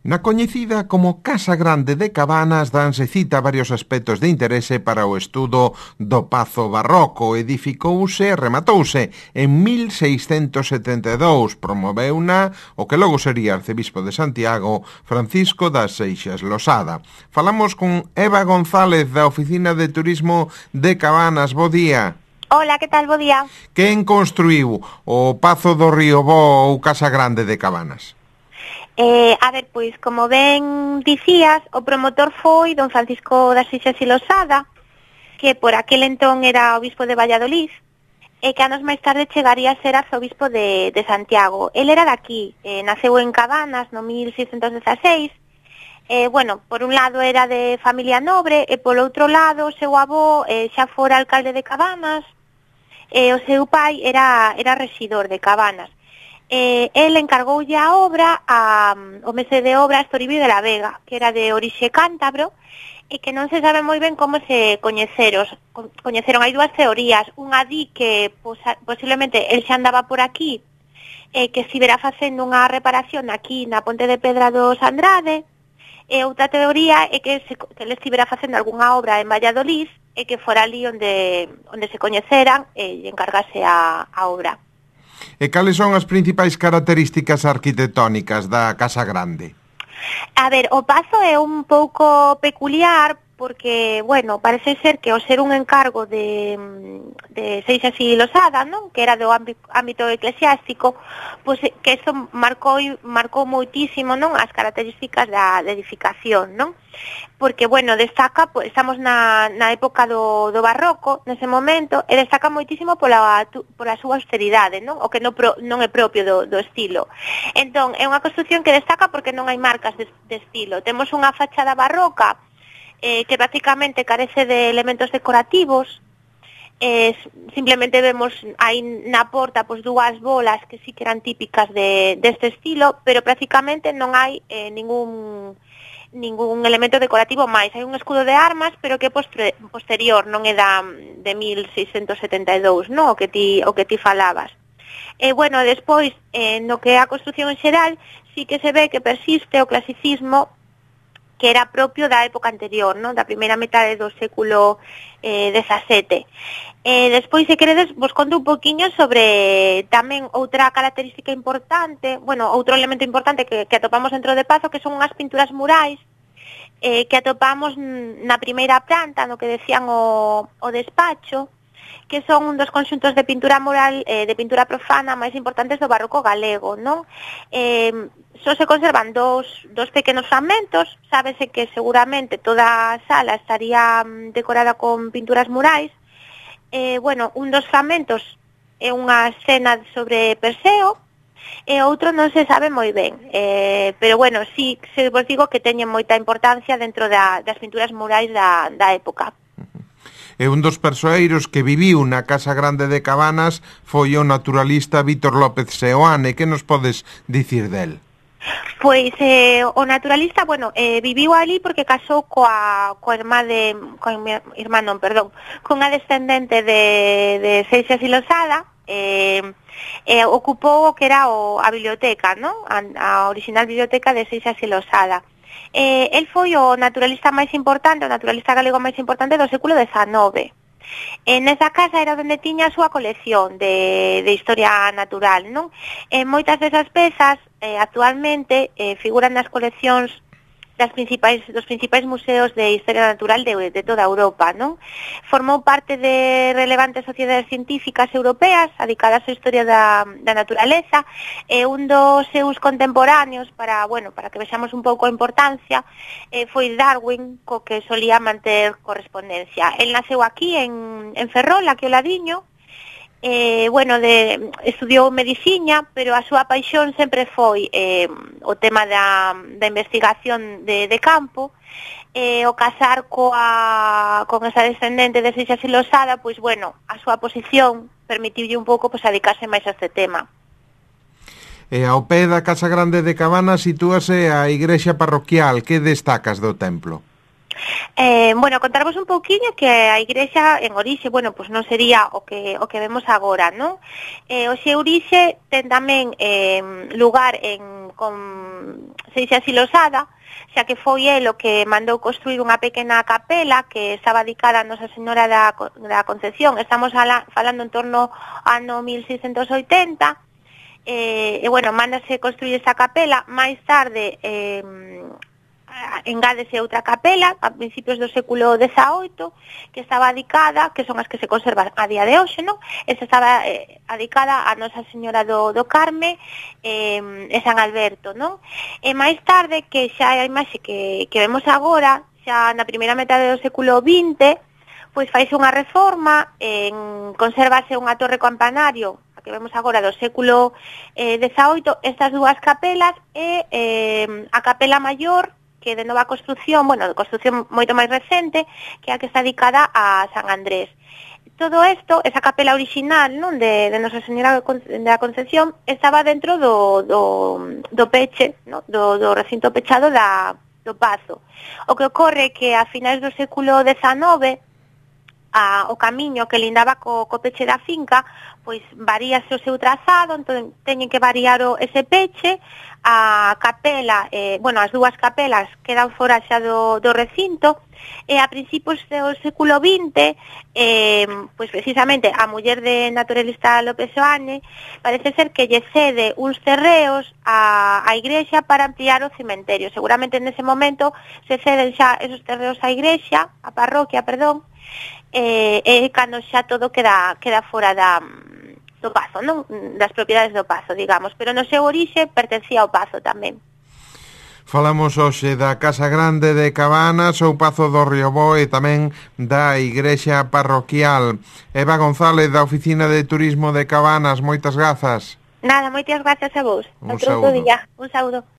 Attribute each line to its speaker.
Speaker 1: Na coñecida como Casa Grande de Cabanas danse cita varios aspectos de interese para o estudo do Pazo Barroco. Edificouse e rematouse en 1672. Promoveuna o que logo sería arcebispo de Santiago, Francisco das Seixas Losada. Falamos con Eva González da Oficina de Turismo de Cabanas. Bo día.
Speaker 2: Hola, que tal? Bo día.
Speaker 1: Quen construiu o Pazo do Río Bo ou Casa Grande de Cabanas?
Speaker 2: Pois, como ben dicías, o promotor foi don Francisco das Seixas Losada, que por aquel entón era obispo de Valladolid, e que anos máis tarde chegaría a ser arzobispo de Santiago. El era daqui, naceu en Cabanas no 1616, por un lado era de familia nobre, e polo outro lado o seu avó xa fora alcalde de Cabanas, e o seu pai era rexidor de Cabanas. El encargoulle a obra o mestre de obras Toribio de la Vega, que era de orixe cántabro, e que non se sabe moi ben como se coñeceron. Hai dúas teorías. Unha di que posiblemente el xa andaba por aquí, que estivera facendo unha reparación aquí na Ponte de Pedra dos Andrade, e outra teoría é que el estivera facendo algunha obra en Valladolid e que fora ali onde se coñeceran e encargase a obra.
Speaker 1: E cales son as principais características arquitectónicas da Casa Grande?
Speaker 2: O Pazo é un pouco peculiar porque, parece ser que ao ser un encargo de Seixas y Losada, non? Que era do ámbito eclesiástico, pois que eso marcou moitísimo, non? As características da edificación, non? Porque, destaca, estamos na época do barroco, nese momento, e destaca moitísimo pola súa austeridade, non? O que non é propio do estilo. Entón, é unha construción que destaca porque non hai marcas de estilo. Temos unha fachada barroca que prácticamente carece de elementos decorativos. Simplemente vemos aí na porta dúas bolas que sí que eran típicas deste estilo, pero prácticamente non hai ningún elemento decorativo máis. Hai un escudo de armas, pero que é posterior, non é de 1672, non? O que ti falabas. Despois, no que é a construción en xeral, sí que se ve que persiste o clasicismo que era propio da época anterior, non? Da primeira metade do século XVII. Despois, se queredes, vos conto un poquinho sobre tamén outra característica importante, outro elemento importante que atopamos dentro de Pazo, que son unhas pinturas murais que atopamos na primeira planta, no que decían o despacho, que son un dos conxuntos de pintura mural, de pintura profana máis importantes do barroco galego, non? Só se conservan dos pequenos fragmentos. Sábese que seguramente toda a sala estaría decorada con pinturas murais. Un dos fragmentos é unha escena sobre Perseo, e outro non se sabe moi ben. Pero sí, se vos digo que teñen moita importancia dentro das pinturas murais da época.
Speaker 1: E un dos persoeiros que viviu na Casa Grande de Cabanas foi o naturalista Vítor López Seoane. Que nos podes dicir del?
Speaker 2: Pois o naturalista, viviu ali porque casou cunha descendente de Seixas y Losada, ocupou o que era a biblioteca, non? A original biblioteca de Seixas y Losada. El foi o naturalista máis importante, o naturalista galego máis importante do século XIX. Nesa casa era onde tiña a súa colección de historia natural, non? Moitas desas pezas actualmente figuran nas coleccións dos principais museos de historia natural de toda Europa, non? Formou parte de relevantes sociedades científicas europeas dedicadas á historia da naturaleza, e un dos seus contemporáneos, para que vexamos un pouco a importancia, foi Darwin, co que solía manter correspondencia. El naceu aquí en Ferrol, aquí ao ladiño. Estudiou medicina, pero a súa paixón sempre foi o tema da investigación de campo. O casar con esa descendente de Seixas y Losada, a súa posición permitiulle un pouco dedicarse máis a este tema.
Speaker 1: E ao pé da Casa Grande de Cabanas sitúase a igrexa parroquial. Que destacas do templo?
Speaker 2: Bueno, contarvos un pouquiño que a igrexa en orixe, bueno, pois non sería o que vemos agora, non? O xe orixe ten tamén lugar con Seixas y Losada, xa que foi el o que mandou construir unha pequena capela que estaba dedicada a Nosa Señora da Concepción. Estamos falando en torno ao ano 1680, bueno, mándase construir esa capela. Máis tarde engádese outra capela a principios do século XVIII que estaba dedicada, que son as que se conservan a día de hoxe, non? Esa estaba dedicada a Nosa Señora do Carme e San Alberto, non? E máis tarde, que xa é a imaxe que vemos agora, xa na primeira metade do século XX, pois faise unha reforma, consérvase unha torre campanario, a que vemos agora do século XVIII, estas dúas capelas e a capela maior, que de nova construción, bueno, de construción moito máis recente, que é a que está dedicada a San Andrés. Todo isto, esa capela original, non, de Nosa Señora da Concepción, estaba dentro do peche, non, do recinto pechado do Pazo. O que ocorre é que a finais do século XIX, o camiño que lindaba co peche da finca, pois varíase o seu trazado, entón teñen que variar ese peche. A capela, bueno, as dúas capelas quedan fora xa do recinto, e a principios do século XX, pois precisamente a muller de naturalista López Oane parece ser que lle cede uns terreos á igrexa para ampliar o cementerio. Seguramente nese momento se ceden xa esos terreos á igrexa, á parroquia, perdón, e cando xa todo queda fora do Pazo, non? Das propiedades do Pazo, digamos, pero no seu orixe pertencía ao Pazo tamén.
Speaker 1: Falamos hoxe da Casa Grande de Cabanas, o Pazo do Riobó e tamén da igrexa parroquial. Eva González, da Oficina de Turismo de Cabanas, moitas grazas.
Speaker 2: Nada, moitas grazas a vos.
Speaker 1: Un saúdo.
Speaker 2: Un saúdo.